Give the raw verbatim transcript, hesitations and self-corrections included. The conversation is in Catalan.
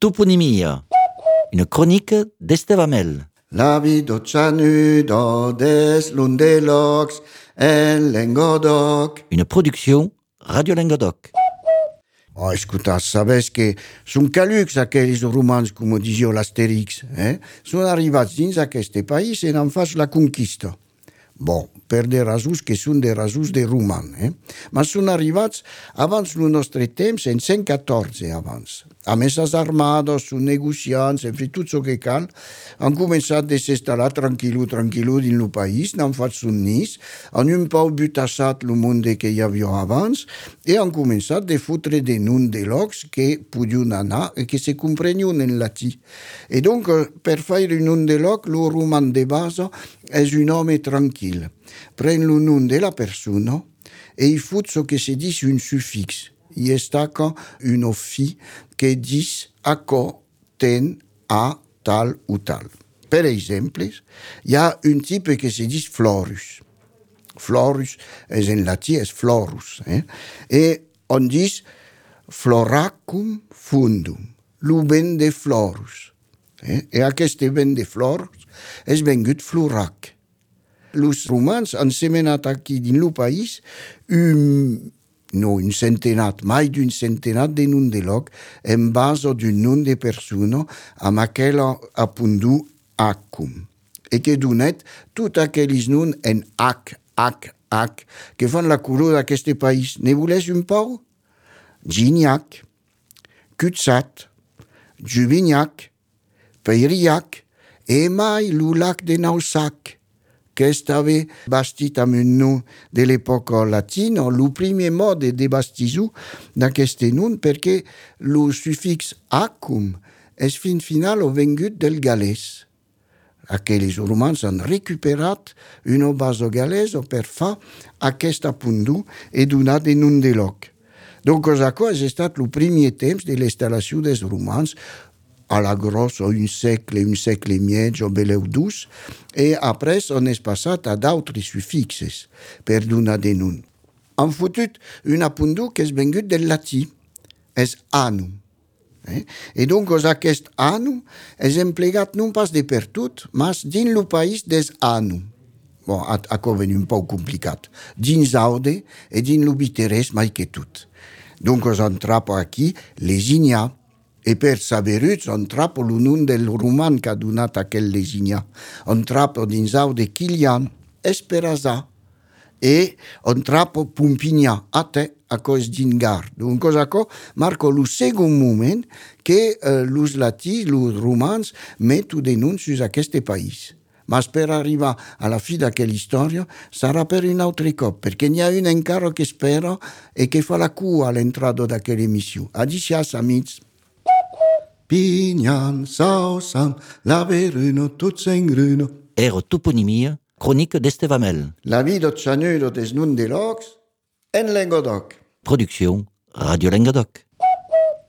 toponymia, une chronique d'Estevamel. La vie de Chanudo des Lundelocs en Languedoc. Une production Radio Languedoc. Oh, escuta, sabes que sunt calucs aquells romans, com disió l'Astèrix, eh? Són arribats dins aquest país i n'han fet la conquista. Bon, per des rasos que són des rasos de roman, eh? Ma són arribats abans del nostre temps, en cent catorze abans. Amb esas armades, són negociants, en fi, tot el que cal, han començat de s'estar tranquil·lo, tranquil·lo dins el país, n'han fet son nis, han un peu butassat el món que hi havia abans, i han començat de fotre de noms de llocs que podien anar i que se comprenien en latí. I donc, per fer un nom de lloc, el roman de base és un home tranquil. Pren el nom de la persona i hi fot ce que se dit un sufix. I destaca un fi que dis acco, ten, a, tal o tal. Per exemple, hi ha un type que se dit florus. Florus és en latí, és florus. Eh? I on dis floracum fundum, lo vent de florus. Eh? I aquest vent de florus és vengut florac. Els romans han semenat aquí dins el país un, no, un centenat, mai d'un centenat de noms de lloc en base d'un nom de persona amb aquell apundu acum. I que donet tots aquells noms en H, H, H, que fan la color d'aquest país. Ne voleu un pau? Gignac, Cutsat, Juvignac, Peiriac, i mai el lac de Naussac, que estava bastit amb un nom de l'època latina, el primer mode de bastissar d'aquest nom, perquè el sufix acum és fin final o vengut del galès. Aquells romans han recuperat una base galesa per fer aquest apundu i donar de nom de lloc. Donc, això ha estat el primer temps de l'instal·lació dels romans, a la grossa un segle, un segle i mig o beleu dus, i après on és passat a d'altres sufixes per donar de nom. Han fotut un apundu que és vengut del latí, és anum. Eh? I donc aquest anum és emplegat non pas de per tot, mas dins el país des anum. Bon, això ven un poc complicat. Dins aude i dins el biterès mai que tot. Donc on trapa aquí lesigna. I per saberuts, on trapa el nom del roman que ha donat aquell lesigna. On trapa dins aude Kilian, Esperanza, i on trapa Pompignà, ate, això és dingar. Donc això marca el segon moment que els latins, els romans, meten de noms sus aquest país. Mas per arribar a la fi d'aquella història sarà per un altre cop, perquè n'hi ha un encara que espera i que fa la cua a l'entrada d'aquella emissió. Adicias, amics. Pignan, sausam, laveruno, tots en gruno. Ero toponymia, chronique d'Estevamel. La vie de Chanudo des noms de llocs en Languedoc. Production Radio Languedoc.